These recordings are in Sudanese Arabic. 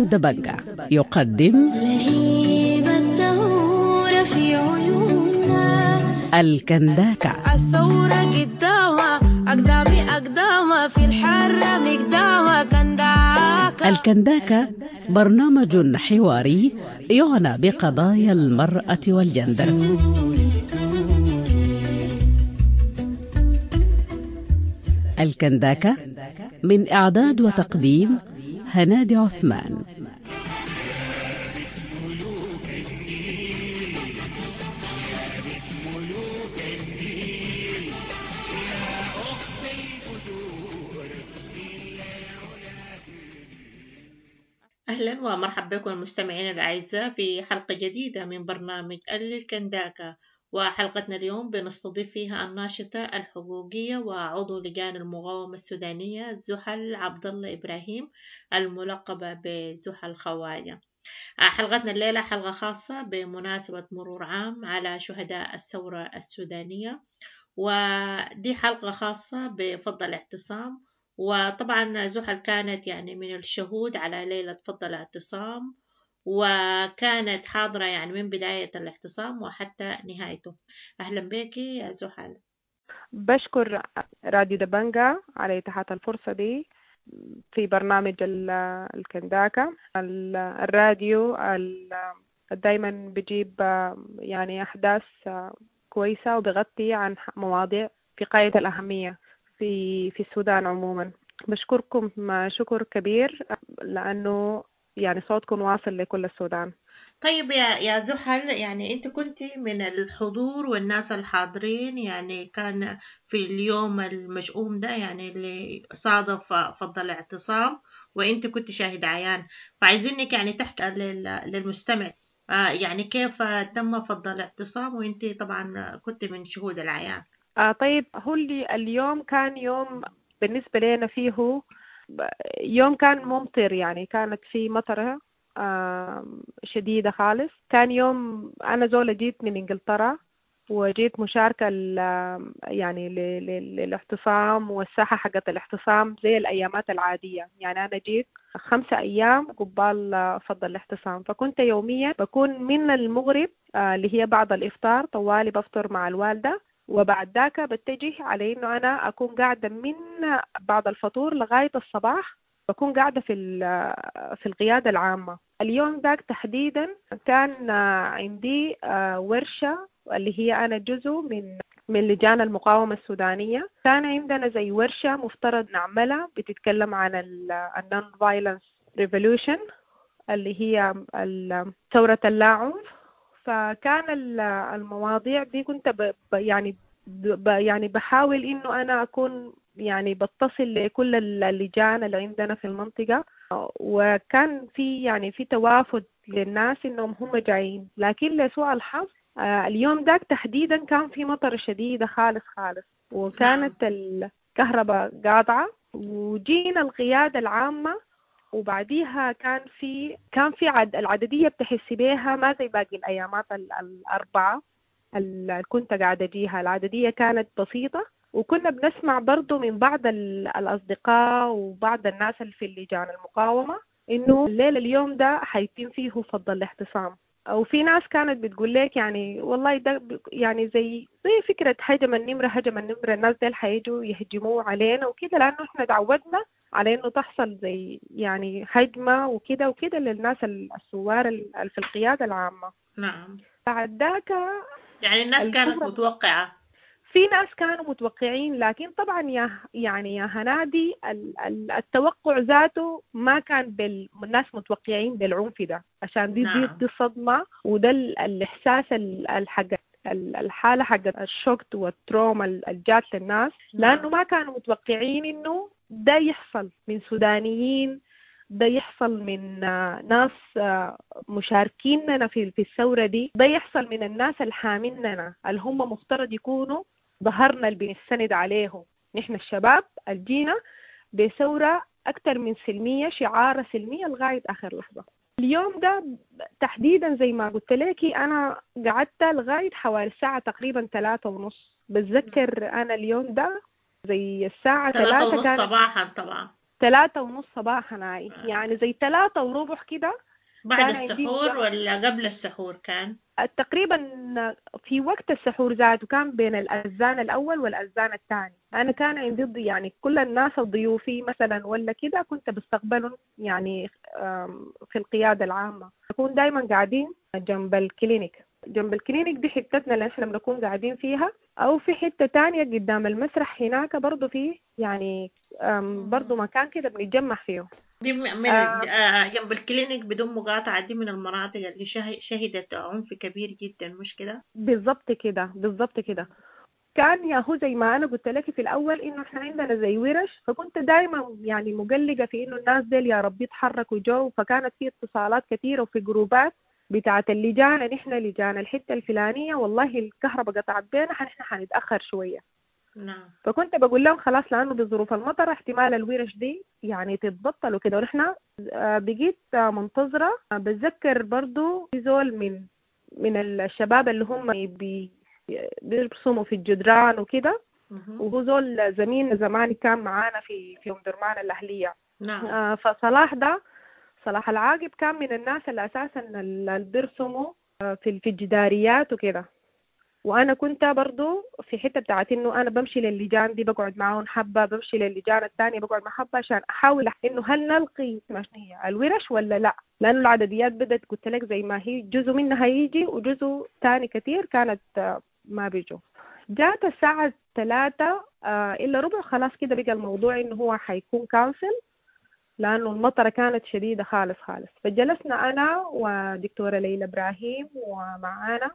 دبنجة يقدم لهيب الثورة في عيوننا. الكنداكة. الثورة قدامها أقدامي أقدامها في الحرة مقدامها كنداكة. الكنداكة برنامج حواري يعنى بقضايا المرأة والجندر. الكنداكة من إعداد وتقديم هنادي عثمان. أهلا ومرحبا بكم المستمعين الأعزاء في حلقة جديدة من برنامج الكنداكة، وحلقتنا اليوم بنستضيف فيها الناشطة الحقوقية وعضو لجان المقاومة السودانية زحل عبد الله إبراهيم الملقبة بزحل خواجة. حلقتنا الليلة حلقة خاصة بمناسبة مرور عام على شهداء الثورة السودانية، ودي حلقة خاصة بفض الاعتصام. وطبعا زحل كانت يعني من الشهود على ليلة فض الاعتصام، وكانت حاضرة يعني من بداية الاعتصام وحتى نهايته. أهلا بك يا زحل. بشكر راديو دبنجة على إتاحة الفرصة دي في برنامج الكنداكة. الراديو دايما بيجيب يعني أحداث كويسة وبغطي عن مواضيع في غاية الأهمية في السودان عموما. بشكركم شكر كبير لأنه يعني صوتكم واصل لكل السودان. طيب يا زحل، يعني أنت كنت من الحضور والناس الحاضرين، يعني كان في اليوم المشؤوم ده يعني اللي صادف فض الاعتصام، وأنت كنت شاهد عيان، فعايزينك يعني تحكي للمستمع يعني كيف تم فض الاعتصام، وأنت طبعا كنت من شهود العيان. طيب، هو اليوم كان يوم بالنسبة لنا فيه يوم كان ممطر، يعني كانت في مطرة شديدة خالص. كان يوم أنا زولة جيت من إنجلترا وجيت مشاركة يعني للاعتصام والساحة حقت الاعتصام زي الأيامات العادية. يعني أنا جيت 5 أيام قبال فض الاعتصام، فكنت يوميا بكون من المغرب اللي هي بعد الإفطار طوالي بفطر مع الوالدة، وبعد ذاك بتجه على إنه أنا أكون قاعدة من بعد الفطور لغاية الصباح، بكون قاعدة في القيادة العامة. اليوم ذاك تحديدا كان عندي ورشة اللي هي أنا جزء من لجان المقاومة السودانية. كان عندنا زي ورشة مفترض نعملها بتتكلم عن ال non-violence revolution اللي هي ثورة اللاعنف. فكان المواضيع دي كنت يعني بحاول إنه أنا أكون يعني بتصل لكل اللجان اللي عندنا في المنطقة، وكان في يعني في توافد للناس إنهم هم جايين. لكن لسوء الحظ اليوم ذاك تحديدا كان في مطر شديدة خالص خالص، وكانت الكهرباء قاطعة، وجينا القيادة العامة، وبعديها كان في العددية بتحسي بيها ما زي باقي الأيامات الأربعة اللي كنت قاعدة أجيها. العددية كانت بسيطة، وكنا بنسمع برضو من بعض الأصدقاء وبعض الناس اللي في اللجان المقاومة إنه الليلة اليوم ده حيتم فيه فض الاعتصام. وفي ناس كانت بتقول لك يعني والله ده يعني زي فكرة هجم النمرة، هجم النمرة، الناس ديل حيجوا يهجموا علينا وكده، لأنه إحنا تعودنا على إنه تحصل زي يعني هجمة وكده وكده للناس الثوار في القيادة العامة. نعم. بعد ذاك يعني الناس كانت متوقعة، في ناس كانوا متوقعين، لكن طبعا يا هنادي التوقع ذاته ما كان الناس متوقعين بالعنف ده، عشان دي نعم. دي الصدمة، وده الإحساس الحق الحالة حق ال shock وال trauma الجات للناس، لأنه ما كانوا متوقعين إنه ده يحصل من سودانيين، ده يحصل من ناس مشاركيننا في الثورة دي، ده يحصل من الناس الحاميننا اللي هم مفترض يكونوا ظهرنا اللي بنستند عليهم نحن الشباب الجينا بثورة أكثر من سلمية، شعارة سلمية لغاية آخر لحظة. اليوم ده تحديدا زي ما قلت لك أنا قعدت لغاية حوالي الساعة تقريبا 3:30. بتذكر أنا اليوم ده زي الساعة 3 صباحا طبعا. 3:30 صباحا هاي، يعني زي 3:15 كده. بعد كان عندي السحور ولا قبل السحور كان؟ تقريبا في وقت السحور ذاته، كان بين الأذان الأول والأذان الثاني. أنا كان عندي يعني كل الناس الضيوفي مثلا ولا كده كنت بستقبلهم يعني في القيادة العامة. نكون دايما قاعدين جنب ال clinic، جنب ال clinic دي حتتنا اللي احنا بنكون قاعدين فيها، أو في حتة تانية قدام المسرح هناك برضو في يعني برضو مكان كده بنتجمع فيه. دي من جنب ال clinic بدون مقاطعة، دي من المناطق اللي شهدت عنف كبير جدا، مش كده؟ بالضبط كده، بالضبط كده. كان ياهو زي ما أنا قلت لك في الأول إنه إحنا عندنا زي ورش، فكنت دايما يعني مقلقة في إنه الناس ديل يا ربي يتحركوا جو، فكانت في اتصالات كثيرة وفي جروبات بتاعة اللجان، نحن لجان الحتة الفلانية والله الكهرباء قطعت بينا، نحن حنتأخر شوية. نعم. فكنت بقول لهم خلاص لأنه بظروف المطر احتمال الورش دي يعني تتبطل وكده، ونحن بقيت منتظرة. بتذكر برضو في زول من الشباب اللي هم بيرسموا في الجدران وكده، وهو زول زميل زمان كان معانا في أم درمان الأهلية. نعم. فصلاح ده، صلاح العاقب، كان من الناس اللي أساساً اللي بيرسموا في الجداريات وكده. وأنا كنت برضو في حتة بتاعت إنه أنا بمشي للجان دي بقعد معاهم حبة، بمشي للجان الثانية بقعد مع حبة، عشان أحاول إنه هل نلقي هي الورش ولا لا، لأنه العدديات بدأت قلت لك زي ما هي جزء منها يجي وجزء تاني كتير كانت ما بيجوا. جات الساعة 2:45 خلاص كده بقى الموضوع إنه هو حيكون كانسل، لأنه المطرة كانت شديدة خالص خالص. فجلسنا أنا ودكتورة ليلى إبراهيم ومعانا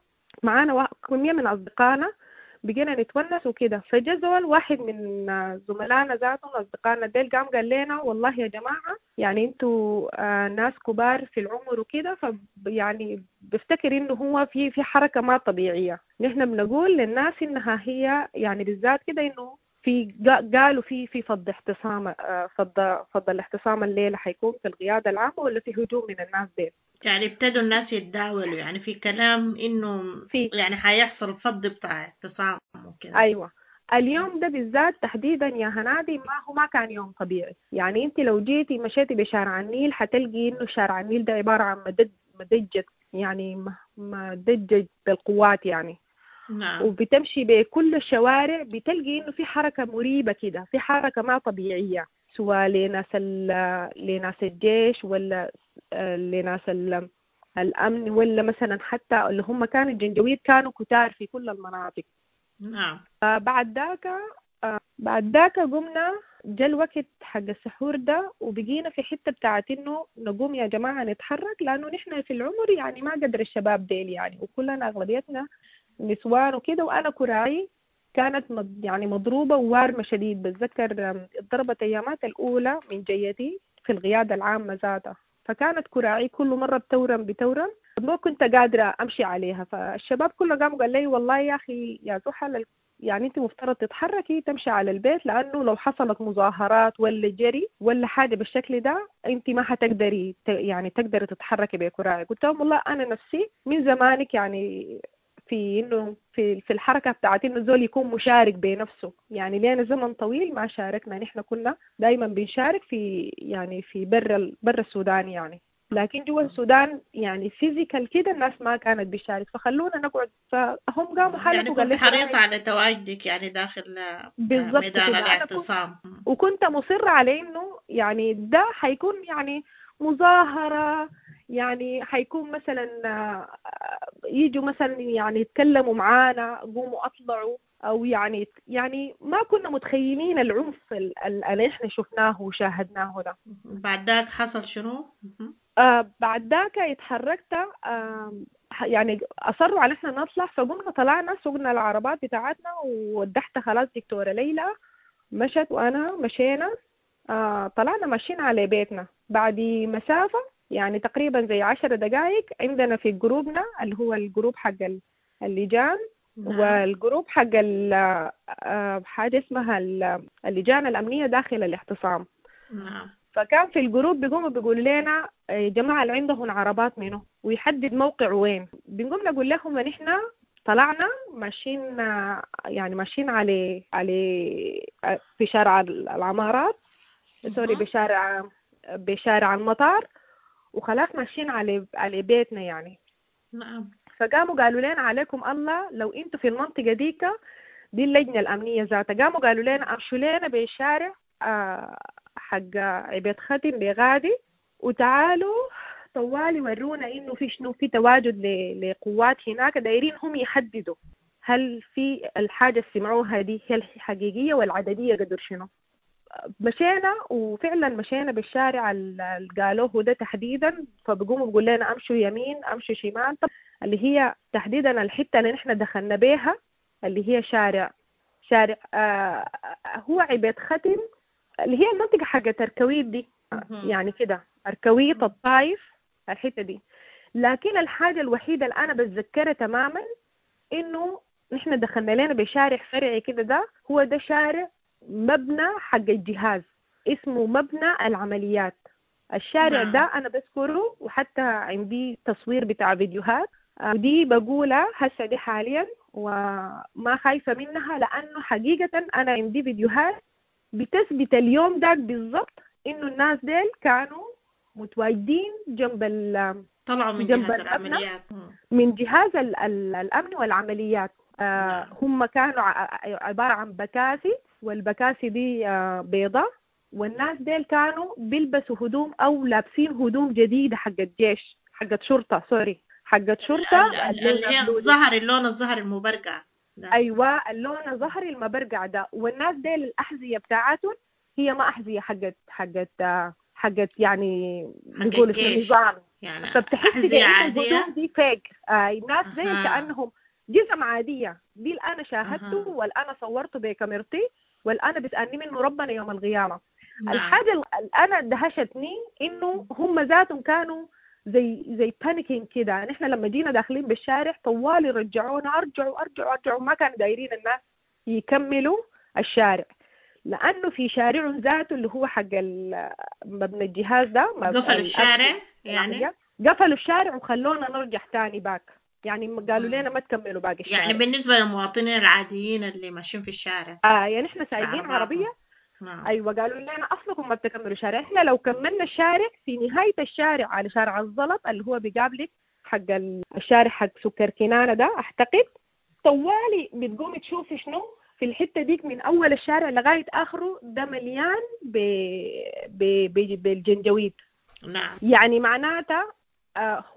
كمية من أصدقائنا، بقينا نتونس وكده. فجزول واحد من زملائنا ذاتهم أصدقائنا ديل قام قال لنا والله يا جماعة يعني انتوا ناس كبار في العمر وكده، فيعني بفتكر إنه هو في حركة ما طبيعية. نحن بنقول للناس إنها هي يعني بالذات كده إنه في قالوا في فض احتصام، فض الاحتصام الليلة حيكون في القيادة العامة ولا في هجوم من الناس ديل. يعني ابتدوا الناس يتداولوا يعني في كلام إنه يعني حيحصل فض بتاع اعتصام وكده. أيوة. اليوم ده بالذات تحديدا يا هنادي ما كان يوم طبيعي. يعني أنت لو جيتي مشيتي بشارع النيل حتلقي إنه شارع النيل ده عبارة عن مدجج، يعني مدجج بالقوات يعني. نعم. وبتمشي بكل الشوارع بتلقي إنه في حركة مريبة كده، في حركة ما طبيعية، سواء لناس الجيش ولا لناس الأمن ولا مثلا حتى اللي هم كانوا الجنجويد كانوا كتار في كل المناطق. نعم. بعد ذاك قمنا جا الوقت حق السحور ده، وبقينا في حتة بتاعت إنه نقوم يا جماعة نتحرك، لأنه نحن في العمر يعني ما قدر الشباب ديل يعني، وكلنا أغلبيتنا نسوان وكده. وأنا كراعي كانت يعني مضروبة ووارمة شديد. بتذكر اتضربت أيامات الأولى من جيتي في القيادة العامة ذاتها، فكانت كراعي كل مرة بتورم ما كنت قادرة أمشي عليها. فالشباب كله قاموا قال لي والله يا أخي يا زحل يعني أنت مفترض تتحركي تمشي على البيت، لأنه لو حصلت مظاهرات ولا جري ولا حاجة بالشكل ده أنت ما حتقدري يعني تقدري تتحركي بكراعي. قلت لهم والله أنا نفسي من زمانك يعني في إنه في الحركة بتاعت إنه زول يكون مشارك بنفسه، يعني لينا زمن طويل ما شاركنا، نحن كنا دايما بنشارك في يعني في برا السودان يعني، لكن جوا السودان يعني physical كده الناس ما كانت بتشارك، فخلونا نقعد. فهم قاموا حالفوا يعني كنت حريصة على تواجدك يعني داخل ميدان الاعتصام، وكنت مصرة على إنه يعني ده حيكون يعني مظاهرة، يعني حيكون مثلا يجوا مثلا يعني يتكلموا معانا، قوموا أطلعوا، أو يعني ما كنا متخيلين العنف اللي إحنا شفناه وشاهدناه ده. بعد ذاك حصل شنو؟ بعد ذاك اتحركت، يعني أصروا على إحنا نطلع، فقمنا طلعنا سوقنا العربات بتاعتنا وودحت خلاص دكتورة ليلى مشت وأنا مشينا، طلعنا ماشيين على بيتنا. بعد مسافة يعني تقريبا زي 10 دقائق عندنا في جروبنا اللي هو ال group حق اللجان. نعم. وال group حق حاجة اسمها اللجان الأمنية داخل الاعتصام. نعم. فكان في ال group بيقوموا بيقولوا لنا يا جماعة اللي عندهم عربات منه ويحدد موقع وين، بنقوم نقول لهم ان احنا طلعنا ماشيين يعني ماشيين على في شارع العمارات، sorry بشارع المطار، وخلاص ماشيين على بيتنا يعني. نعم. فقاموا قالوا لنا عليكم الله لو انتوا في المنطقة ديك دي اللجنة الأمنية ذاتها، قاموا قالوا لنا امشوا لنا بشارع حق عبيد ختم بغادي، وتعالوا طوالي ورونا انه في شنو، في تواجد لقوات هناك، دايرين هم يحددوا هل في الحاجة اللي سمعوها دي هي الحقيقية والعددية قدر شنو. مشينا وفعلا مشينا بالشارع اللي قالوه ده تحديدا، فبقوموا بيقول لنا امشوا يمين امشوا شمال، طب اللي هي تحديدا الحتة اللي نحن دخلنا بيها اللي هي شارع هو عبيد ختم، اللي هي المنطقة حقت أركويت دي يعني كده، أركويت الطايف الحتة دي. لكن الحاجة الوحيدة اللي أنا بتذكرها تماما إنه نحن دخلنا لنا بشارع فرعي كده، ده هو ده شارع مبنى حق الجهاز اسمه مبنى العمليات. الشارع ده أنا بذكره، وحتى عندي تصوير بتاع فيديوهات ودي بقولها هسه دي حاليا وما خايفة منها، لأنه حقيقة أنا عندي فيديوهات بتثبت اليوم ده بالضبط إنه الناس ديل كانوا متواجدين جنب طلعوا من جهاز العمليات، من جهاز الأمن والعمليات. هم كانوا عبارة عن بكاسي، والبكاسي دي بيضة، والناس ديل كانوا بيلبسوا هدوم أو لابسين هدوم جديدة حقت جيش، حقت شرطة، sorry حقت شرطة، اللي هي الزهر، اللون الزهر المبرقع. أيوة اللون الزهري المبرقع ده. والناس ديل الأحذية بتاعتهم هي ما أحذية حقت يعني بيقولوا في النظام يعني، فبتحسي بأن الهدوم دي fake. الناس زي كأنهم جزم عادية. دي اللي أنا شاهدته والأنا صورته بكاميرتي والأنا بسألني منه ربنا يوم القيامة. الحاجة اللي أنا دهشتني إنه هم ذاتهم كانوا زي panicking كده. نحن لما جينا داخلين بالشارع طوالي رجعونا، أرجعوا أرجعوا أرجعوا، ما كانوا دايرين الناس يكملوا الشارع، لأنه في شارع ذاته اللي هو حق مبنى الجهاز ده قفلوا الشارع يعني، قفلوا الشارع وخلونا نرجع تاني back، يعني قالوا لنا ما تكملوا باقي الشارع. يعني بالنسبة للمواطنين العاديين اللي ماشيين في الشارع يعني احنا سايقين عربية. ايوه قالوا لنا اصلكم ما بتكملوا شارع، احنا لو كملنا الشارع في نهاية الشارع على شارع الزلط اللي هو بيقابلك حق الشارع حق سكر كنانة ده اعتقد، طوالي بتقومي تشوفي شنو في الحتة ديك من أول الشارع لغاية آخره، ده مليان بالجنجويد. نعم. يعني معناتها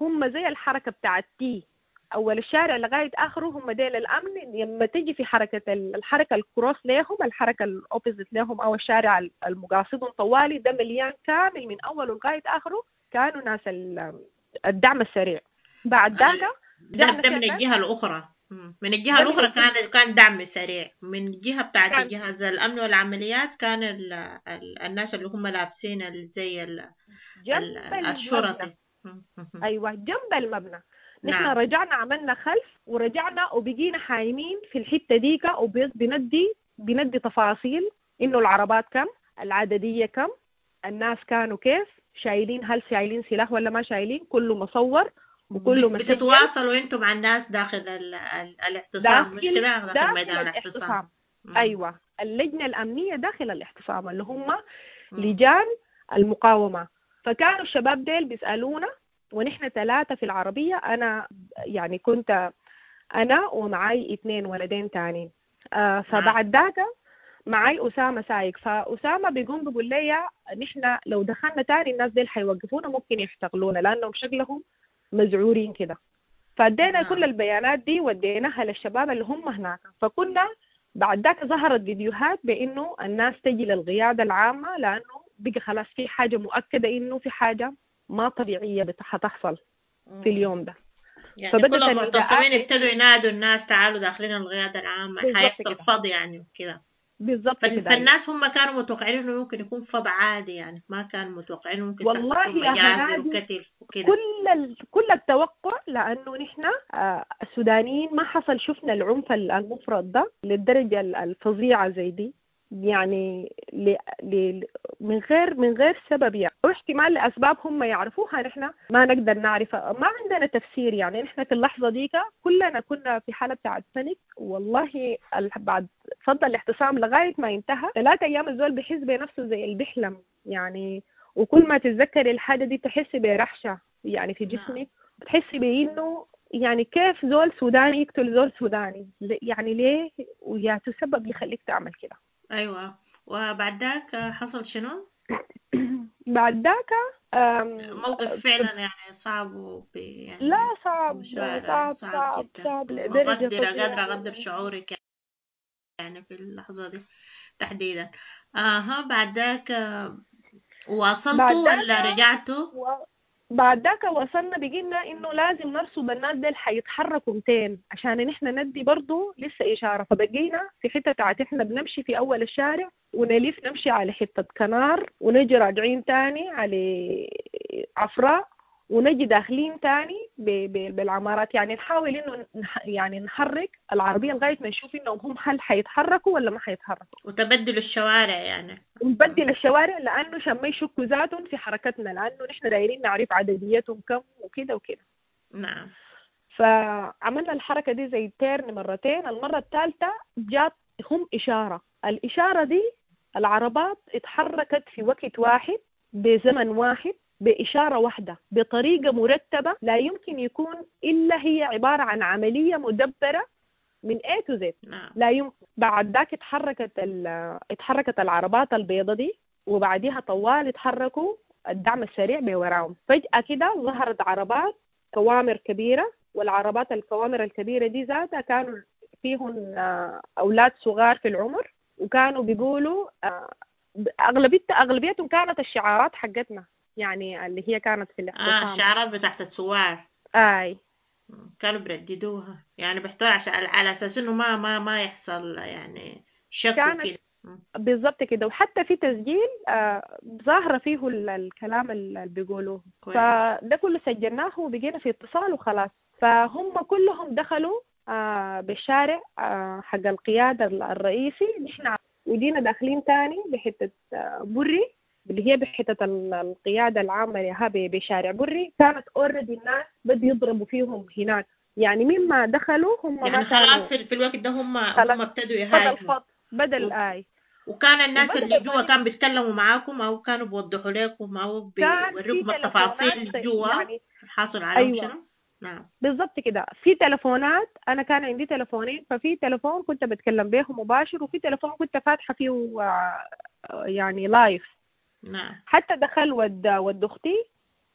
هم زي الحركة بتاعت تي، أول الشارع لغاية آخره هم ديل الأمن. لما تيجي في حركة الحركة ال cross ليهم، الحركة ال opposite لهم أو الشارع المقاصدهم طوالي ده مليان كامل من أوله لغاية آخره، كانوا ناس الدعم السريع. بعد ذاك ده من الجهة الأخرى، من الجهة الأخرى كان دعم سريع. من الجهة بتاعت جهاز الأمن والعمليات كان الناس اللي هم لابسين زي الشرطي. أيوة جنب المبنى. نحن نعم. رجعنا عملنا خلف ورجعنا وبقينا حايمين في الحتة ديكا، وبندي تفاصيل إنه العربات كم، العددية كم، الناس كانوا كيف شايلين، هل شايلين سلاح ولا ما شايلين، كله مصور وكله مسجل. بتتواصلوا انتم مع الناس داخل الاعتصام، مش كده؟ داخل ميدان الاعتصام. ايوه اللجنة الامنية داخل الاعتصام اللي هم لجان المقاومة. فكانوا الشباب ديل بيسالونا، ونحن 3 في العربية، انا يعني كنت انا ومعاي 2 ولدين تاني. فبعد ذاك معاي أسامة سايق، فأسامة بيقوم بيقول لي نحن لو دخلنا تاني الناس ديل حيوقفونا، ممكن يحتقلونا لأنهم شكلهم مزعورين كده. فادينا كل البيانات دي وديناها للشباب اللي هم هناك. فكنا بعد ذاك ظهرت فيديوهات بانه الناس تجي للقياده العامة، لانه بقى خلاص في حاجة مؤكدة انه في حاجة ما طبيعية حتحصل في اليوم ده. يعني فبدأت كل المعتصمين ابتدوا ينادوا الناس تعالوا داخلين القيادة العامة، حيحصل فض يعني وكده. بالضبط كده. فالناس هم كانوا متوقعين انه ممكن يكون فض عادي، يعني ما كانوا متوقعين ممكن تحصل مجازر وقتل وكده. كل التوقع، لانه نحن السودانيين ما حصل شفنا العنف المفرط ده للدرجة الفظيعة زي دي. يعني ل من غير سبب يعني، او احتمال لاسباب هم يعرفوها نحن ما نقدر نعرفها، ما عندنا تفسير. يعني نحن في اللحظة ديك كلنا كنا في حاله بتاعت panic والله. بعد فضل الاعتصام لغاية ما انتهى 3 ايام الزول بيحس بنفسه زي اللي بيحلم يعني، وكل ما تتذكري الحاجة دي تحسي برحشه يعني في جسمك، بتحسي بانه يعني كيف زول سوداني يقتل زول سوداني، يعني ليه ويا سبب يخليك تعمل كده. ايوه. وبعد ذاك حصل شنو؟ بعد ذاك موقف فعلا يعني صعب يعني لا صعب صعب صعب صعب لدرجة قادرة أقدر شعورك يعني في اللحظة دي تحديدا. بعد ذاك واصلتوا ولا رجعتوا؟ بعد ذاك وصلنا بقينا انه لازم نرصد الناس ديل حيتحركوا 200 عشان نحن ندي برضو لسه اشارة. فبقينا في حتة بتاعت احنا بنمشي في اول الشارع ونلف نمشي على حتة كنار ونجي راجعين تاني على عفراء ونجي داخلين تاني بالعمارات، يعني نحاول انه يعني نحرك العربية لغاية ما نشوف انهم هم هل حيتحركوا ولا ما حيتحركوا، وتبدلوا الشوارع يعني، ونبدل الشوارع لانه عشان ما يشكوا ذاتهم في حركتنا، لانه نحن دايرين نعرف عدديتهم كم وكده وكده. نعم. فعملنا الحركة دي زي تيرن مرتين، المرة الثالثة جات هم اشارة، الاشارة دي العربات اتحركت في وقت واحد بزمن واحد بإشارة واحدة بطريقة مرتبة لا يمكن يكون إلا هي عبارة عن عملية مدبرة من A to Z. لا يمكن. بعد ذاك اتحركت العربات البيضة دي، وبعديها طوال اتحركوا الدعم السريع بوراهم. فجأة كده ظهرت عربات كوامر كبيرة، والعربات الكوامر الكبيرة دي ذاتها كانوا فيهم أولاد صغار في العمر، وكانوا بيقولوا أغلبيتهم كانت الشعارات حقتنا يعني اللي هي كانت في الاعتصام. الشعارات بتاعت الثوار. اي كانوا برددوها يعني، بيحتوا عشان على اساس انه ما يحصل يعني شك وكده. بالضبط كده. وحتى في تسجيل ظاهرة فيه الكلام اللي بيقولوه. فده كله سجلناه وبقينا في اتصال وخلاص. فهم كلهم دخلوا بالشارع حق القيادة الرئيسي، نحن وجينا داخلين تاني بحتة بري اللي هي بحتة القيادة العامة لها بشارع بري. كانت already الناس بدوا يضربوا فيهم هناك يعني، مما دخلوا هم يعني خلاص في الوقت ده هم ابتدوا يهاجموا بدل آي. وكان الناس اللي جوا كان بيتكلموا معاكم او كانوا بيوضحوا لكم او بيوريكم التفاصيل اللي جوا يعني حاصل عليهم. أيوة. شنو؟ نعم بالضبط كده. في تلفونات، انا كان عندي تلفونين، ففي تلفون كنت بتكلم به مباشر، وفي تلفون كنت فاتحة فيه يعني live. نعم. حتى دخل ود اختي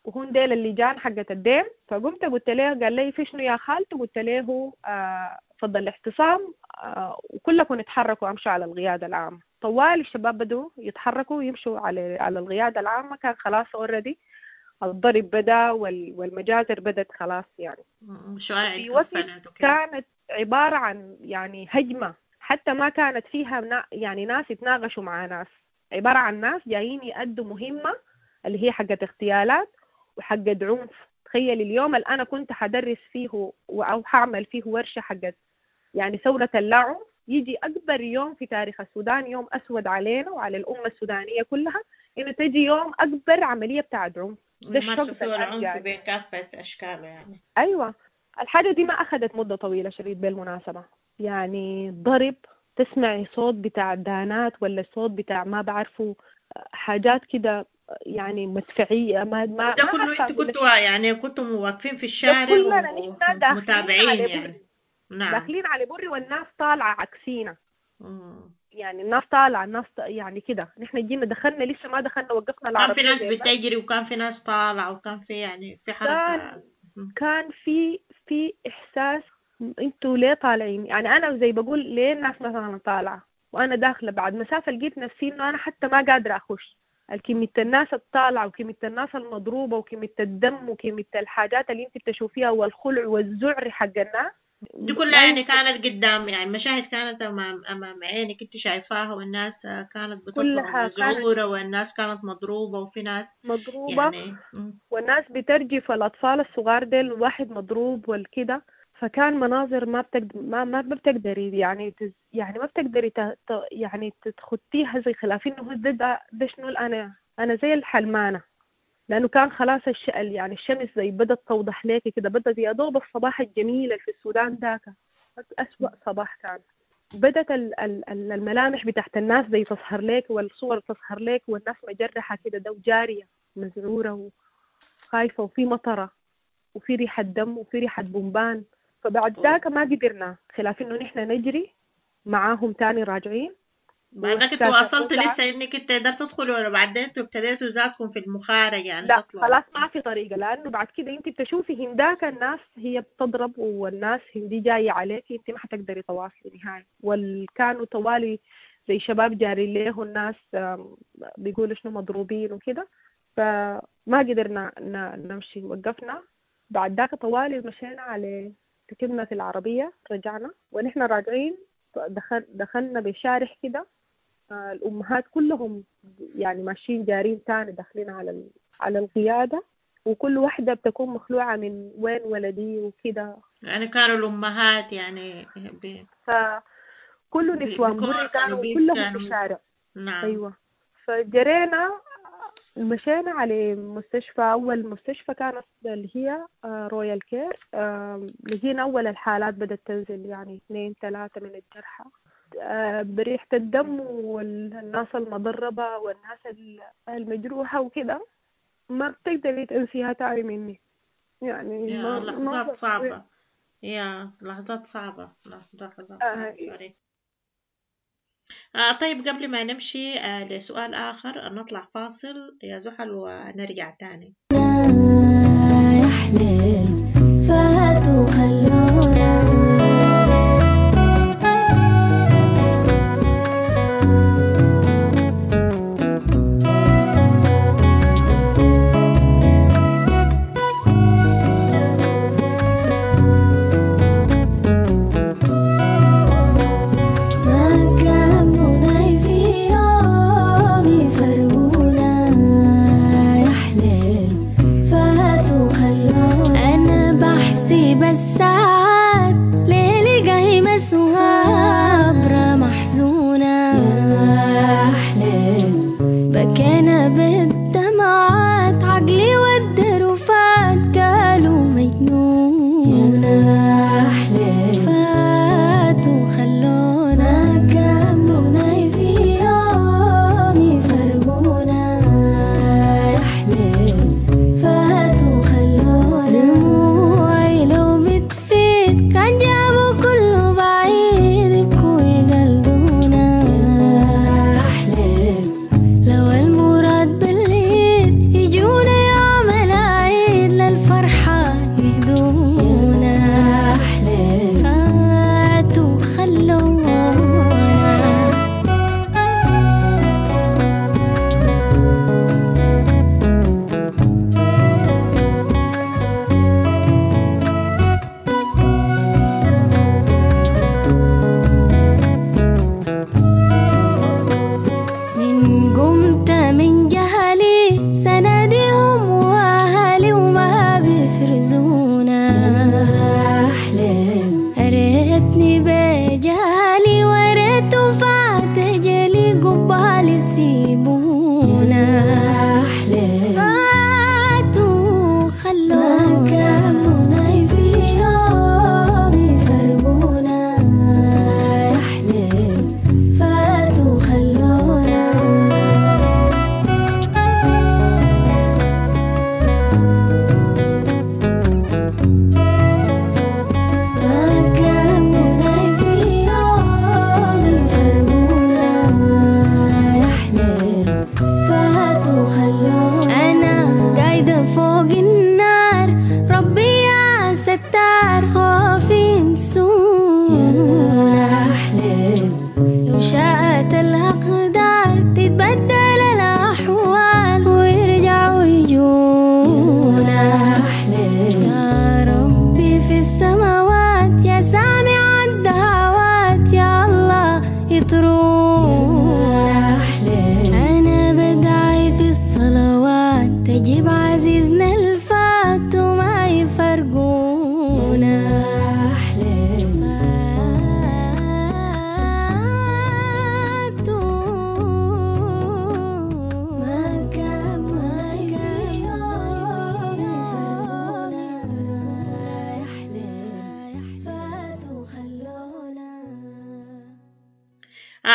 وهون ديل اللجان حقت الديم، فقمت قلت له، قال لي في شنو يا خالته؟ قلت له فضل الاعتصام وكلكم اتحركوا امشوا على القيادة العامة. طوال الشباب بدوا يتحركوا ويمشوا على القيادة العامة. كان خلاص already الضرب بدا والمجازر بدت خلاص يعني. الشوارع كانت عبارة عن يعني هجمة، حتى ما كانت فيها يعني ناس يتناقشوا مع ناس، عبارة عن ناس جايين يأدوا مهمة اللي هي حقة اغتيالات وحقة عنف. تخيل اليوم اللي أنا كنت حدرس فيه أو حعمل فيه ورشة حقة يعني ثورة اللاعنف، يجي أكبر يوم في تاريخ السودان، يوم أسود علينا وعلى الأمة السودانية كلها، إنه تجي يوم أكبر عملية بتاعت عنف. ده الشوك فيه العنف بكافة أشكاله يعني. أيوة. الحاجة دي ما أخذت مدة طويلة شديد بالمناسبة، يعني ضرب، تسمعي صوت بتاع دانات ولا صوت بتاع ما بعرفه حاجات كده يعني مدفعية. ما ده كله انتوا كنتوا يعني كنتوا واقفين في الشارع ومتابعين يعني. نعم. داخلين على بري والناس طالعة عكسينا. يعني الناس طالعة، الناس يعني كده. نحن جينا دخلنا، لسه ما دخلنا وقفنا العربية، كان في ناس بتجري وكان في ناس طالعة وكان في يعني في حركة. كان في إحساس انتوا ليه طالعين؟ يعني انا زي بقول ليه الناس مثلا طالعه، وانا داخله بعد مسافة لقيت نفسي انه انا حتى ما قادرة اخش. كمية الناس الطالعه وكمية الناس المضروبه وكمية الدم وكمية الحاجات اللي انت بتشوفيها والخلع والذعر حق الناس دي كلها يعني كانت قدام، يعني مشاهد كانت امام عينك انت شايفاها، والناس كانت بتطلع مذعوره والناس كانت مضروبة وفي ناس مضروبة يعني والناس بترجف، والاطفال الصغار ديل واحد مضروب والكده. فكان مناظر ما بتقدر ما بتقدري يعني يعني ما بتقدري يعني تخطيها زي خلاف انه ده شنو انا زي الحلمانه، لانه كان خلاص يعني الشمس زي بدت توضح لك كده، بدت يا دوب الصباح الجميل اللي في السودان ذاك اسوأ صباح كان. بدت الملامح بتاعت الناس زي تظهر لك والصور تظهر لك، والناس مجرحه كده ده وجاريه مزعوره وخايفه، وفي مطره وفي ريحه دم وفي ريحه بومبان. فبعد ذاك ما قدرنا خلاف انه نحن نجري معاهم تاني راجعين. بعد ذاك انتوا وصلت لسه انك انت قدرت تدخلوا ولا بعدين انتوا ابتديتوا ذاتكم في المخارجه يعني؟ لا تطلعوا. خلاص ما في طريقه، لانه بعد كده انت بتشوفي هنداك الناس هي بتضرب والناس هندي جايه عليك، انت ما حتقدري تواصلي نهائي. والكانوا طوالي زي شباب جارين له الناس بيقولوا شنو مضروبين وكده، فما قدرنا نمشي، وقفنا. بعد ذاك طوالي مشينا على ركبنا في العربية رجعنا، ونحن راجعين دخلنا بشارع كده، الأمهات كلهم يعني ماشيين جارين تاني داخلين على القيادة، وكل واحدة بتكون مخلوعة من وين ولدي وكده. يعني كانوا الأمهات يعني فكل نسوان بري كانوا كلهم في الشارع. نعم. أيوة. فجرينا مشينا على مستشفى، أول مستشفى كانت اللي هي رويال كير. لقينا أول الحالات بدأت تنزل، يعني 2 3 من الجرحى، بريحة الدم والناس المضربة والناس المجروحة وكده، ما بتقدري تنسيها تاني مني يعني. يا لحظات صعبة، يا لحظات صعبة، لحظات صعبة. سوري. طيب قبل ما نمشي لسؤال آخر نطلع فاصل يا زحل ونرجع تاني. يا حليل فاتوا خلونا.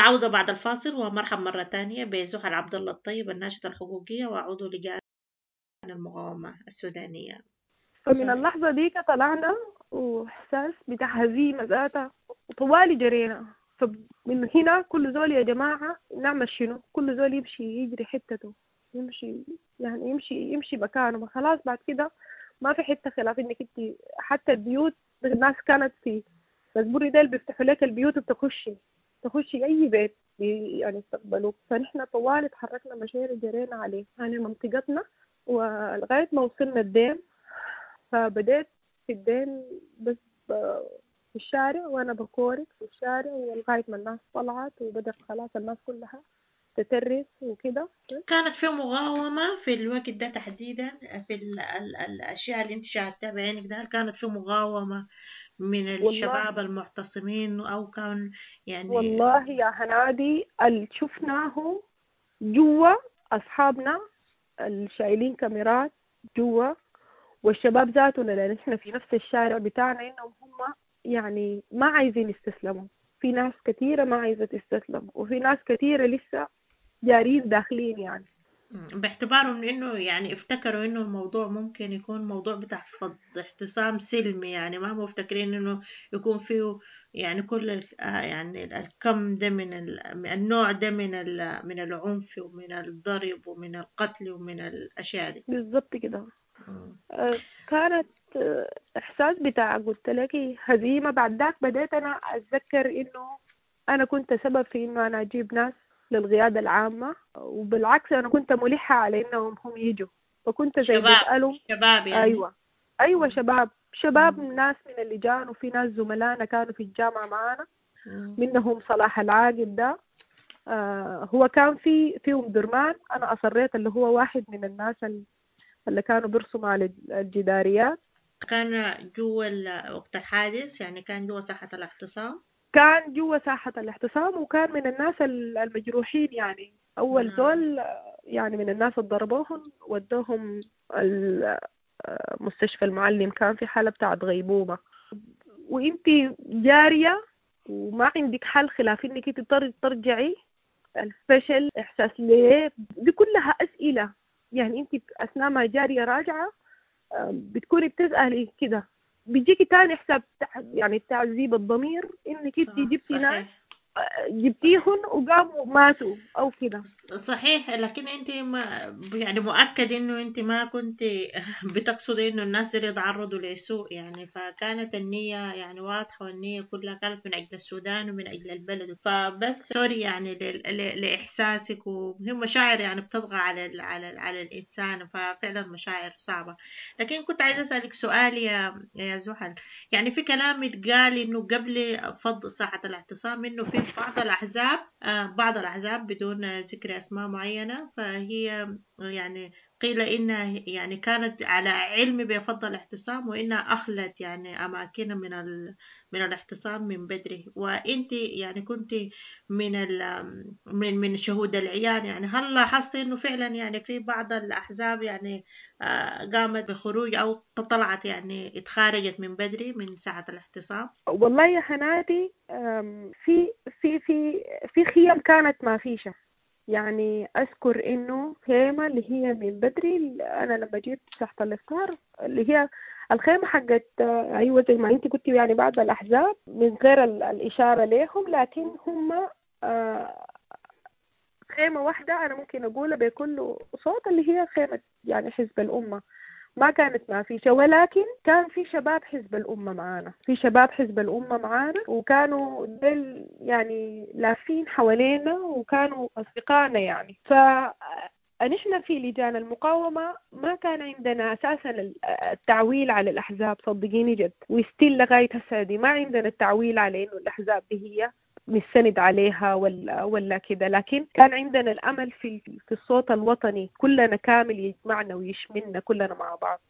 وعودة بعد الفاصل، ومرحب مرة تانية بزحل عبد الله الطيب الناشطة الحقوقية وعضو لجان المقاومة السودانية. فمن اللحظة ديك طلعنا وإحساس بتاع هزيمة ذاتها، وطوالي جرينا. فمن هنا كل زول يا جماعة نعمل شنو؟ كل زول يمشي يجري حتته، يمشي يعني يمشي مكانه. ما خلاص بعد كده ما في حتة خلاف إنك انت حتى البيوت الناس كانت في مزبوري ديل بيفتحوا لك البيوت وبتخشي تخشي أي بيت يعني يستقبلوك. فنحن طوال تحركنا مشينا جرينا عليه يعني منطقتنا، ولغاية ما وصلنا الديم. فبديت في الديم بس في الشارع وأنا بكورك في الشارع، ولغاية ما الناس طلعت وبدأت خلاص الناس كلها تترس وكده. كانت في مقاومة في الوقت ده تحديدا في الأشياء اللي انت شاهدتها بعينك ده؟ هل كانت في مقاومة من الشباب المعتصمين أو كان يعني؟ والله يا هنادي اللي شفناه جوا أصحابنا اللي شايلين كاميرات جوا والشباب ذاتنا، لأن إحنا في نفس الشارع بتاعنا، إنهم هم يعني ما عايزين يستسلموا. في ناس كثيرة ما عايزة تستسلم، وفي ناس كثيرة لسه جارين داخلين، يعني باعتبارهم إنه يعني افتكروا إنه الموضوع ممكن يكون موضوع بتاع فض اعتصام سلمي، يعني ما مفتكرين إنه يكون فيه يعني كل يعني الكم ده من النوع ده من العنف ومن الضرب ومن القتل ومن الأشياء دي. بالضبط كده. كانت إحساس بتاع قلت لك هزيمة. بعد ذاك بدأت أنا أتذكر إنه أنا كنت سبب في إنه أنا أجيب ناس للقيادة العامة، وبالعكس أنا كنت ملحة على إنهم هم يجوا، فكنت زي بسألهم شباب يعني. أيوة شباب ناس من اللجان، وفي ناس زملائنا كانوا في الجامعة معانا، منهم صلاح العاقب ده، هو كان في أم درمان. أنا أصريت اللي هو واحد من الناس اللي كانوا بيرسموا على الجداريات. كان جوا وقت الحادث، يعني كان جوا ساحة الاعتصام؟ كان جوا ساحة الاعتصام، وكان من الناس المجروحين، يعني أول زول يعني من الناس اللي ضربوهم ودوهم مستشفى المعلم، كان في حالة بتاعت غيبوبة. وانت جارية وما عندك حل خلاف انك انت ترجعي. الفشل، احساس ليه، دي كلها اسئلة يعني انت اثناء ما جارية راجعة بتكوني بتسألي كده، بيجيكي تاني حساب يعني تعذيب الضمير انك انت جبتي ناس جبتيهن وقاموا ماتوا او كده. صحيح، لكن انت ما يعني مؤكد انه انت ما كنت بتقصدي انه الناس دي يتعرضوا لسوء يعني، فكانت النية يعني واضحة، والنية كلها كانت من اجل السودان ومن اجل البلد. فبس sorry يعني لاحساسك، وهي مشاعر يعني بتطغى على على على الانسان، ففعلا مشاعر صعبة. لكن كنت عايزة اسالك سؤال يا زحل، يعني في كلام اتقال انه قبل فض ساحة الاعتصام انه في بعض الأحزاب بدون ذكر أسماء معينة، فهي يعني قيل إنها يعني كانت على علم بفض الاعتصام وإنها أخلت يعني أماكن من الاعتصام من بدري، وإنت يعني كنت من شهود العيان، يعني هل لاحظت إنه فعلا يعني في بعض الأحزاب يعني قامت بخروج أو طلعت يعني اتخارجت من بدري من ساعة الاعتصام؟ والله يا حناتي في في في في خيم كانت ما فيشة، يعني أذكر إنه خيمة اللي هي من بدري، أنا لما جيت تحت الإفطار اللي هي الخيمة حقت أيوة زي ما أنت قلتي يعني بعض الأحزاب من غير الإشارة لهم، لكن هم خيمة واحدة أنا ممكن أقولها بكل صوت اللي هي خيمة يعني حزب الأمة، ما كانت ما فيش، ولكن كان في شباب حزب الأمة معانا، في شباب حزب الأمة معانا، وكانوا دل يعني لافين حوالينا وكانوا أصدقائنا يعني. فنحن في لجان المقاومة ما كان عندنا أساسا التعويل على الأحزاب، صدقيني جد، وستيل لغاية هسه دي ما عندنا التعويل على إنه الأحزاب دي هي نستند عليها ولا كده، لكن كان عندنا الأمل في الصوت الوطني كلنا كامل يجمعنا ويشملنا كلنا مع بعض.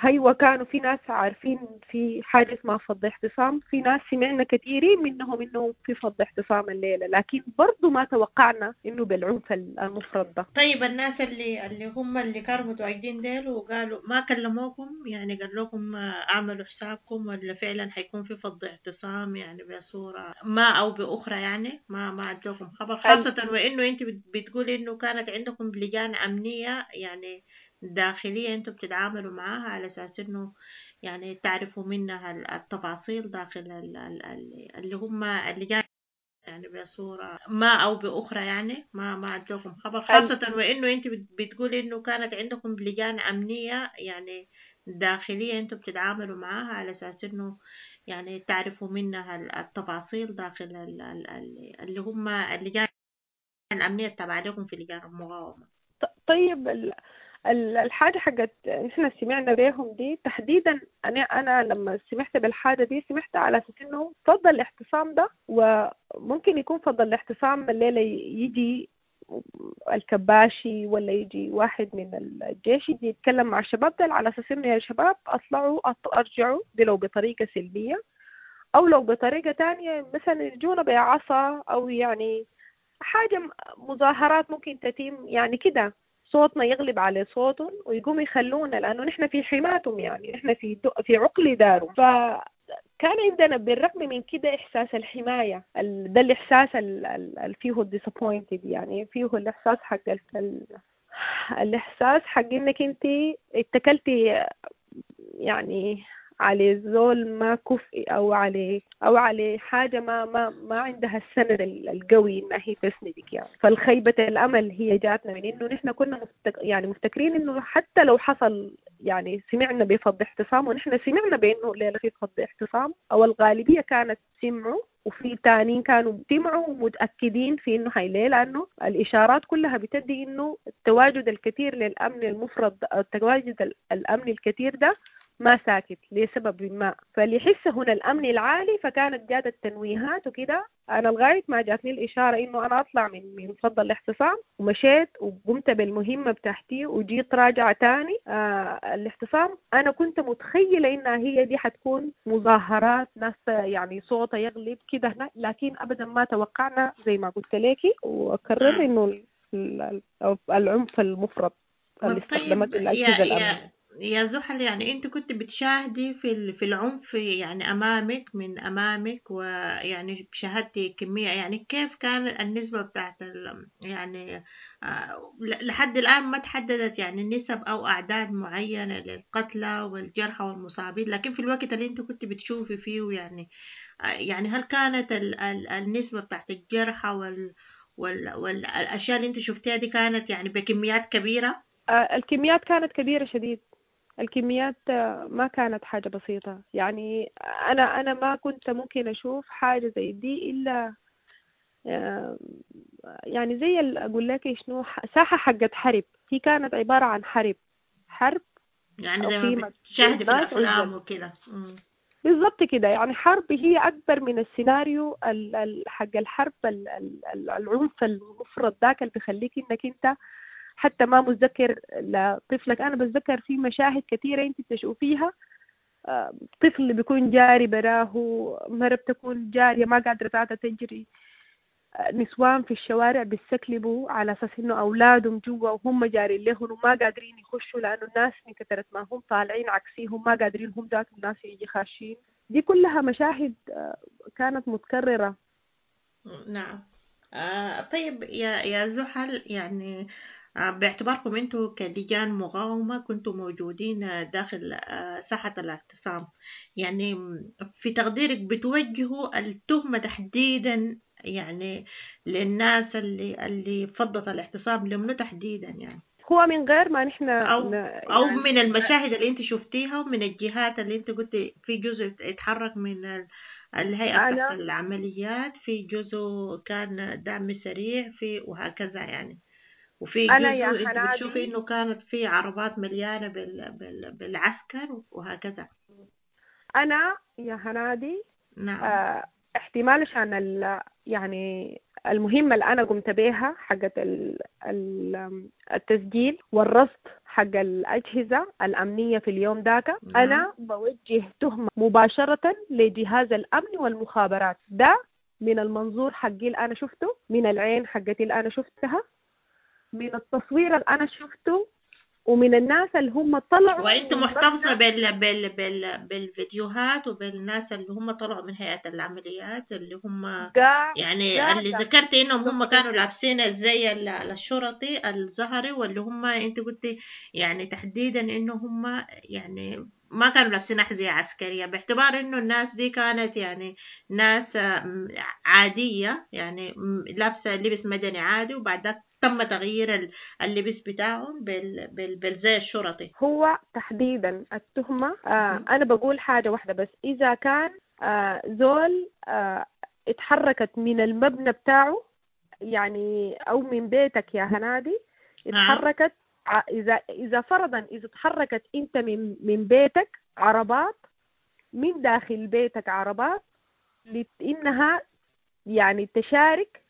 هيوا كانوا في ناس عارفين في حاجة اسمها فض اعتصام، في ناس سمعنا كثيرين منهم إنه في فض اعتصام الليلة، لكن برضو ما توقعنا إنه بالعنف المفرط ده. طيب الناس اللي هم اللي كانوا متواجدين ديل وقالوا ما كلموكم، يعني قال لكم اعملوا حسابكم ولا فعلا حيكون في فض اعتصام يعني بصورة ما أو بأخرى بأخرى يعني ما ادوكم خبر، خاصة وإنه أنت بتقولي إنه كانت عندكم لجان أمنية يعني داخلية أنتم بتتعاملوا معاها على أساس إنه يعني تعرفوا منها التفاصيل داخل اللي هم اللجان يعني بصورة ما أو بأخرى يعني ما ادوكم خبر، خاصة وإنه أنت بتقولي إنه كانت عندكم لجان أمنية يعني داخلية أنتم بتتعاملوا معاها على أساس إنه يعني تعرفوا منها التفاصيل داخل اللي هم اللجان الأمنية التابعة لكم في لجان المقاومة. طيب الحاجة حقت نحن سمعنا بيهم دي تحديدا، أنا لما سمعت بالحاجة دي سمعت على أساس إنه فضل الاعتصام ده، وممكن يكون فضل الاعتصام الليلة يجي الكباشي ولا يجي واحد من الجيش يجي يتكلم مع الشباب ده على أساس إنه يا شباب أطلعوا أرجعوا، دي لو بطريقة سلمية أو لو بطريقة تانية مثلا يجونا بعصا أو يعني حاجة مظاهرات ممكن تتم يعني كده، صوتنا يغلب على صوتهم ويقوم يخلونا، لأنه نحن في حماتهم يعني نحن في عقل دارهم. فكان عندنا بالرغم من كده إحساس الحماية، ده الإحساس اللي فيه disappointed يعني فيه الإحساس حق الإحساس حق إنك أنت اتكلتي يعني على زول ما كفء أو على حاجة ما عندها السند القوي إنها هي تسندك يعني. فالخيبة الأمل هي جاتنا من إنه نحن كنا يعني مفتكرين إنه حتى لو حصل يعني سمعنا بفض اعتصام، ونحن سمعنا بإنه الليلة في فض اعتصام أو الغالبية كانت سمعوا، وفي تانيين كانوا سمعوا ومتأكدين في إنه هاي ليه، لأنه الإشارات كلها بتدي إنه التواجد الكثير للأمن المفرط، التواجد الأمني الكثير ده ما ساكت لسبب ما، فاللي يحس هنا الأمن العالي. فكانت جات التنويهات وكده، أنا لغاية ما جاتني الإشارة إنه أنا أطلع من فض الاعتصام، ومشيت وقمت بالمهمة بتاعتي وجيت راجعة تاني. الاعتصام أنا كنت متخيلة إنها هي دي حتكون مظاهرات ناس يعني صوتها يغلب كده هنا، لكن أبدا ما توقعنا زي ما قلت لك، وأكرر إنه العنف المفرط اللي استخدمته الأجهزة الأمنية. يا زحل، يعني انت كنت بتشاهدي في العنف يعني امامك من امامك، ويعني شاهدتي كمية، يعني كيف كان النسبة بتاعت يعني لحد الآن ما تحددت يعني نسب أو أعداد معينة للقتلى والجرحى والمصابين، لكن في الوقت اللي انت كنت بتشوفي فيه يعني هل كانت النسبة بتاعت الجرحى والأشياء اللي انت شفتيها دي كانت يعني بكميات كبيرة؟ الكميات كانت كبيرة شديد، الكميات ما كانت حاجة بسيطة يعني. أنا ما كنت ممكن أشوف حاجة زي دي إلا يعني زي أقول لك شنو، ساحة حقت حرب، هي كانت عبارة عن حرب يعني زي ما بتشاهدي في الأفلام وكده بالضبط كده، يعني حرب هي أكبر من السيناريو حق الحرب، العنف المفرط ذاك اللي بيخليك إنك أنت حتى ما متذكر لطفلك. أنا بتذكر في مشاهد كثيرة أنت تشوفيها، طفل بيكون جاري براه، مرة بتكون جارية ما قادرة ذاتها تجري، نسوان في الشوارع بيستكلبوا على أساس إنه أولادهم جوا وهم جارين لهم وما قادرين يخشوا، لأنه الناس من كثرة ما هم طالعين عكسيهم ما قادرين هم ذاتهم الناس يجي خاشين. دي كلها مشاهد كانت متكررة. نعم. طيب يا زحل، يعني باعتباركم انتم كلجان مقاومة كنتم موجودين داخل ساحة الاعتصام، يعني في تقديرك بتوجهوا التهمة تحديدا يعني للناس اللي فضت الاعتصام لمنو تحديدا يعني؟ هو من غير ما نحن أو يعني من المشاهد اللي انت شفتيها ومن الجهات اللي انت قلتي في جزء اتحرك من الهيئة بتاعت العمليات، في جزء كان دعم سريع، في وهكذا يعني، وفي جزء انت بتشوفي انه كانت في عربات مليانة بالعسكر وهكذا. انا يا هنادي نعم احتمال عشان يعني المهمة اللي أنا قمت بيها حقت التسجيل والرصد حق الأجهزة الأمنية في اليوم ذاك، أنا بوجه تهمة مباشرة لجهاز الأمن والمخابرات. ده من المنظور حقي اللي أنا شفته، من العين حقتي اللي أنا شفتها، من التصوير اللي أنا شفته، ومن الناس اللي هم طلعوا وانت من محتفظة مبنى بالفيديوهات وبالناس اللي هم طلعوا من هيئة العمليات، اللي هم يعني اللي قاعدة ذكرتي انهم هم كانوا documented. لابسين الزي الشرطي الزهري، واللي هم انت قلتي يعني تحديدا انه هم يعني ما كانوا لابسين أحذية عسكرية، باعتبار انه الناس دي كانت يعني ناس عادية، يعني لابسة لبس مدني عادي، وبعد ذاك تم تغيير اللبس بتاعهم بالزي الشرطي. هو تحديدا التهمة، أنا بقول حاجة واحدة بس، إذا كان زول اتحركت من المبنى بتاعه يعني أو من بيتك يا هنادي، اتحركت إذا فرضا إذا اتحركت أنت من بيتك عربات، من داخل بيتك عربات، لإنها يعني تشارك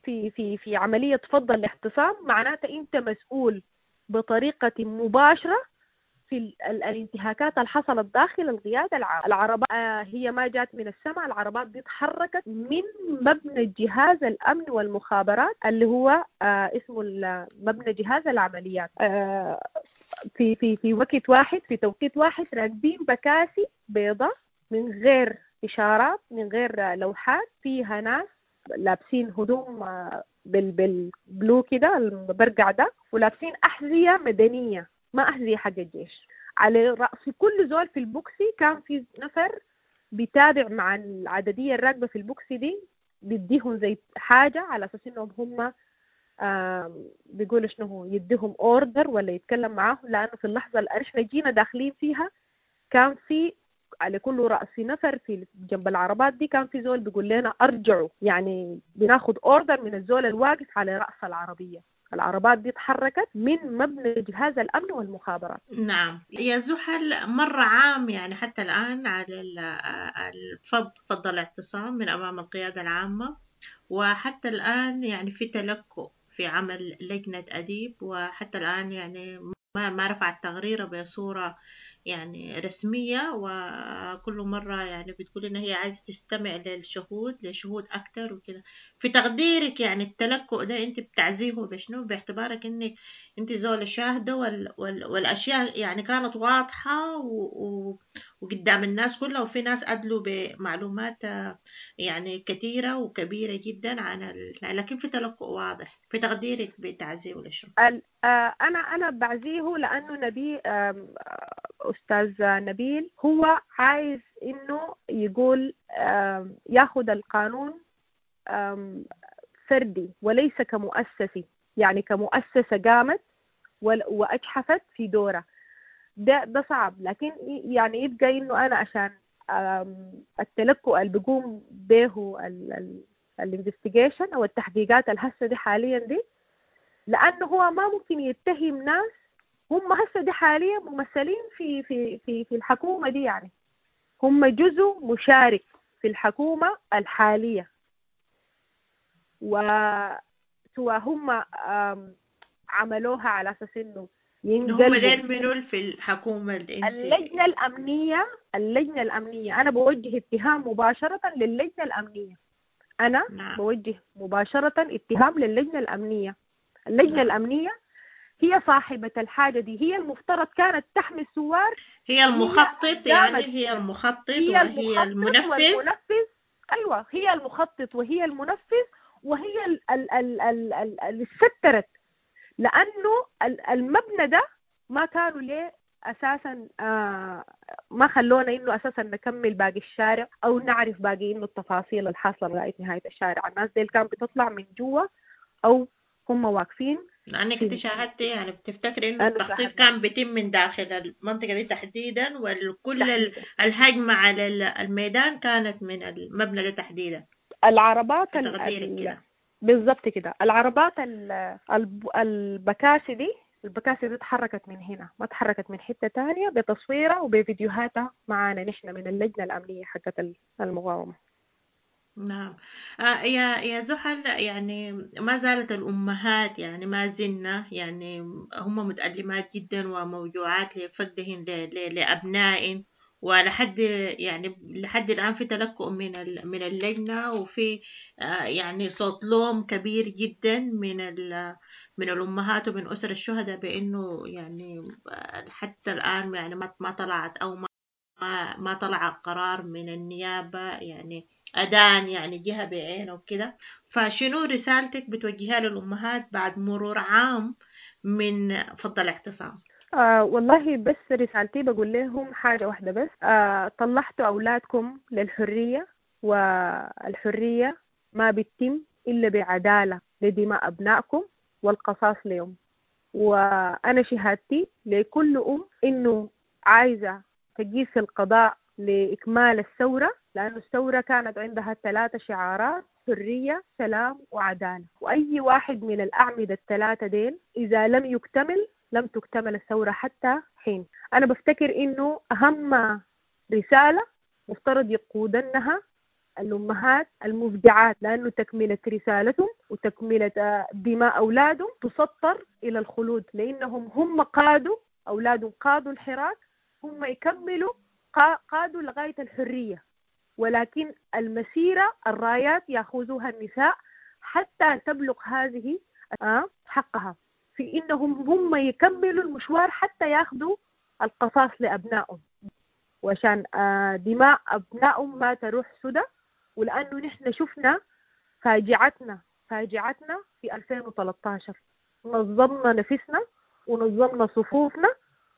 في في في عملية فض الاعتصام، معناته أنت مسؤول بطريقة مباشرة في الانتهاكات اللي حصلت داخل القيادة العامة. العربات هي ما جات من السماء، العربات دي اتحركت من مبنى جهاز الأمن والمخابرات اللي هو اسمه مبنى جهاز العمليات، في في في وقت واحد، في توقيت واحد، راكبين بكاسي بيضاء من غير إشارات، من غير لوحات، فيها ناس لابسين هدوم بالبلو كده المبرقع ده، ولابسين أحذية مدنية، ما أحذية حق الجيش. على رأس كل زول في البوكسي كان في نفر بيتابع مع العددية الراكبة في البوكسي دي، بيديهم زي حاجة على أساس إنهم هم بيقولوا شنو هو، يديهم order ولا يتكلم معاهم، لأنه في اللحظة اللي إحنا جينا داخلين فيها كان في على كل رأس نفر في جنب العربات دي كان في زول بيقول لنا أرجعوا، يعني بناخد order من الزول الواقف على رأس العربية. العربات دي تحركت من مبنى جهاز الأمن والمخابرات. نعم يا زحل، مر عام يعني حتى الآن على فض الاعتصام من أمام القيادة العامة، وحتى الآن يعني في تلكؤ في عمل لجنة أديب، وحتى الآن يعني ما رفعت تقريره بصورة يعني رسمية، وكل مرة يعني بتقول إن هي عايزة تستمع لشهود أكتر وكده. في تقديرك يعني التلكؤ ده أنت بتعزيه بشنو، باعتبارك إنك أنت زول شاهدة والأشياء يعني كانت واضحة وقدام الناس كلها، وفي ناس أدلوا بمعلومات يعني كثيرة وكبيرة جدا عن لكن في تلكؤ واضح. في تقديرك بتعزيه لشنو؟ أنا بعزيه لأنه نبي أستاذ نبيل هو عايز إنه يقول ياخد القانون فردي وليس كمؤسسي، يعني كمؤسسة قامت وأجحفت في دورها، ده صعب. لكن يعني يبقى إنه أنا عشان التلكؤ اللي بيقوم به ال investigation أو التحقيقات الهسة دي حاليا دي، لأنه هو ما ممكن يتهم ناس هم هسه دي حاليا ممثلين في في في في الحكومة دي، يعني هم جزء مشارك في الحكومة الحالية، وسواء هم عملوها على أساس إنه ينقلبوا. هم ديل منو في الحكومة اللي انت؟ اللجنة الأمنية. اللجنة الأمنية أنا بوجه اتهام مباشرة للجنة الأمنية. أنا نعم. بوجه مباشرة اتهام للجنة الأمنية. اللجنة نعم. الأمنية هي صاحبة الحاجة دي، هي المفترض كانت تحمي الثوار، هي المخطط، يعني هي المخطط وهي المنفذ. أيوة هي المخطط وهي المنفذ وهي اللي سترت، لأنه المبنى ده ما كانوا ليه أساسا، ما خلونا إنه أساسا نكمل باقي الشارع أو نعرف باقي إنه التفاصيل الحاصلة لغاية نهاية الشارع. الناس دي كانت بتطلع من جوا أو هم واقفين. لأنك أنت شاهدتي، يعني بتفتكري إنه التخطيط كان بيتم من داخل المنطقة دي تحديدا، وكل الهجمة على الميدان كانت من المبنى ده تحديدا. العربات كده بالضبط كده، العربات البكاسي دي، البكاسي دي تحركت من هنا، ما تحركت من حتة تانية، بتصويرها وبفيديوهاتها معانا نحن من اللجنة الأمنية حقت المقاومة. نعم. يا زحل، يعني ما زالت الأمهات يعني ما زلنا يعني هم متألمات جدا وموجوعات لفقدهن لأبنائهن، ولحد يعني لحد الآن في تلكؤ من اللجنة، وفي يعني صوت لوم كبير جدا من الأمهات ومن أسر الشهداء بأنه يعني حتى الآن يعني ما طلعت أو ما طلع قرار من النيابة يعني أدان يعني جهة بعينه وكده. فشنو رسالتك بتوجهها للأمهات بعد مرور عام من فض الاعتصام؟ والله بس رسالتي بقول لهم حاجة واحدة بس، طلعتوا أولادكم للحرية، والحرية ما بتتم إلا بعدالة لدماء أبنائكم والقصاص لهم. وأنا شهادتي لكل أم إنه عايزة تجيس القضاء لإكمال الثورة، لأن الثورة كانت عندها 3 شعارات: حرية، سلام، وعدالة. وأي واحد من الأعمدة ال3 ديل إذا لم يكتمل لم تكتمل الثورة حتى حين. أنا بفتكر إنه أهم رسالة مفترض يقودنها الأمهات المبدعات، لأنه تكملة رسالتهم وتكملة دماء أولادهم تسطر إلى الخلود، لأنهم هم قادوا أولادهم، قادوا الحراك، هم يكملوا قادوا لغاية الحرية، ولكن المسيرة الرايات يأخذوها النساء حتى تبلغ هذه حقها، في إنهم هم يكملوا المشوار حتى يأخذوا القصاص لأبنائهم، وعشان دماء أبنائهم ما تروح سدى. ولأنه نحن شفنا فاجعتنا في 2013، نظمنا نفسنا ونظمنا صفوفنا،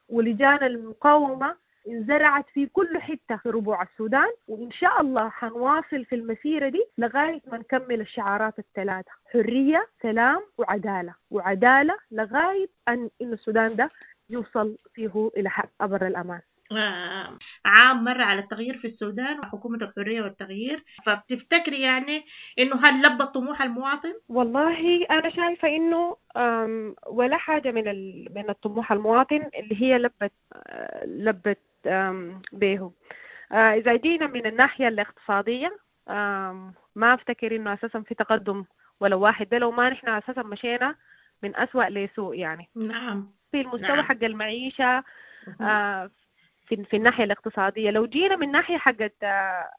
ولجان المقاومة انزرعت في كل حتة في ربوع السودان، وإن شاء الله حنواصل في المسيرة دي لغاية ما نكمل الشعارات ال3: حرية، سلام، وعدالة. وعدالة لغاية أن السودان ده يوصل فيه إلى حق أبر الأمان. عام مر على التغيير في السودان وحكومة الحرية والتغيير، فبتفتكري يعني إنه هل لبى طموح المواطن؟ والله أنا شايفة إنه ولا حاجة من الطموح المواطن اللي هي لبت به. إذا جينا من الناحية الاقتصادية، ما أفتكر إنه أساسا في تقدم ولا واحد، ده لو ما نحن أساسا مشينا من أسوأ لسوء يعني. نعم. في المستوى حق المعيشة، في الناحية الاقتصادية. لو جينا من ناحية حقت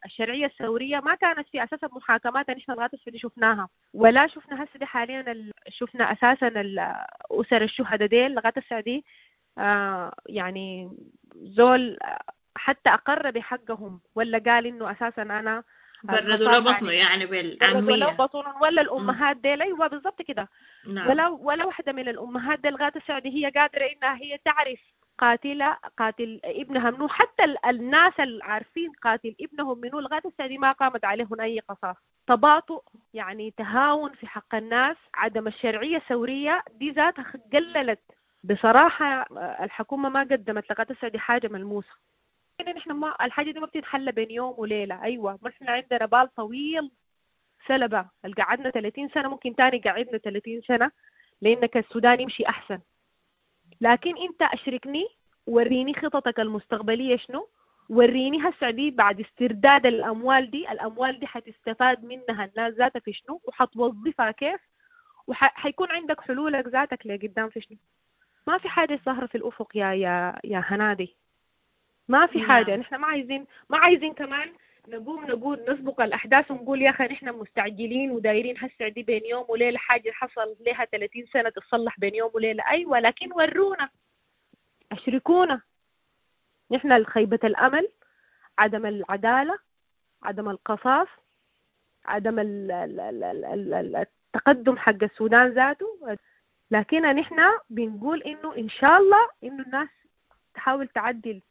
الشرعية الثورية، ما كانت في أساسا محاكمات نحن لغاية هسه شفناها، ولا شفنا هسه دي حاليا شفنا أساسا أسر الشهداء ديل لغاية هسه دي، يعني زول حتى أقر بحقهم ولا قال إنه أساسا أنا بردوا له بطنه يعني بالعامية، بردوا له بطنه، ولا الأمهات ديل. أيوة بالضبط كده. نعم. ولا واحدة من الأمهات ديل لغاية هسه دي هي قادرة إنها هي تعرف قاتل ابنها منو. حتى الناس العارفين قاتل ابنهم منو لغاية هسه دي ما قامت عليهم أي قصاص. تباطؤ يعني تهاون في حق الناس، عدم الشرعية الثورية دي ذاتها قللت بصراحة. الحكومة ما قدمت لغاية هسه دي حاجة ملموسة. نحن ما الحاجة دي ما بتتحل بين يوم وليلة. أيوة نحن عندنا بال طويل سلبة، قعدنا 30 سنة، ممكن تاني قعدنا 30 سنة لأنك السودان يمشي أحسن. لكن أنت أشركني، وريني خططك المستقبلية شنو، وريني هسه دي بعد استرداد الأموال دي، الأموال دي حتستفاد منها الناس ذاتها في شنو، وحتوظفها كيف، وحيكون عندك حلولك ذاتك لقدام في شنو. ما في حاجة ظاهرة في الأفق يا يا يا هنادي، ما في حاجة. نحن ما عايزين كمان نقوم نقول نسبق الأحداث ونقول يا أخي نحن مستعجلين ودايرين هسه دي بين يوم وليلة حاجة حصل لها 30 سنة تتصلح بين يوم وليلة. أيوة لكن ورونا، أشركونا. نحن خيبة الأمل، عدم العدالة، عدم القصاص، عدم التقدم حق السودان ذاته. لكن نحن بنقول إنه إن شاء الله إنه الناس تحاول تعدل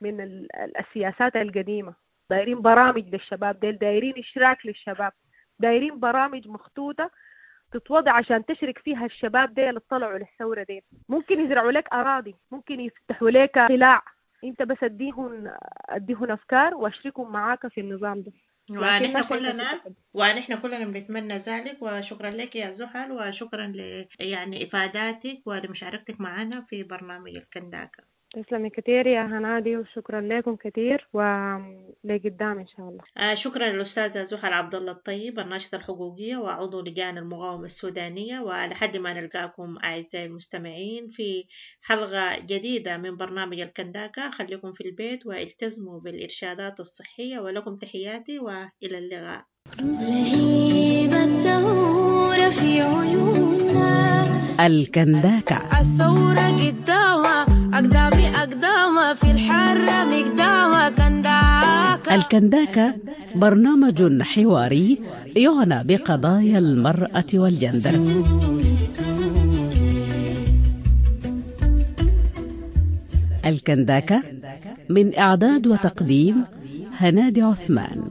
من السياسات القديمة. دايرين برامج للشباب ديل، دايرين إشراك للشباب، دايرين برامج مخطوطة تتوضع عشان تشرك فيها الشباب ديل اللي طلعوا للثورة ديل. ممكن يزرعوا لك أراضي، ممكن يفتحوا لك قلاع، انت بس اديهن أفكار واشركهم معاك في النظام ده. ونحن كلنا بنتمنى ذلك. وشكرا لك يا زحل، وشكرا ل يعني إفاداتك ولمشاركتك معنا في برنامج الكنداكة. تسلمي كثير يا هنادي، وشكرا لكم كثير، ولقدام إن شاء الله. شكرا للأستاذة زحل عبد الله الطيب، الناشطة الحقوقية وعضو لجان المقاومة السودانية. ولحد ما نلقاكم أعزائي المستمعين في حلقة جديدة من برنامج الكنداكة، خليكم في البيت والتزموا بالإرشادات الصحية، ولكم تحياتي وإلى اللقاء. لهيب الثورة في عيوننا. الكنداكة. الثورة قدامها أقدامي أقدامها في الحرة مقدامها كنداكة. الكنداكة برنامج حواري يعنى بقضايا المرأة والجندر. الكنداكة من إعداد وتقديم هنادي عثمان.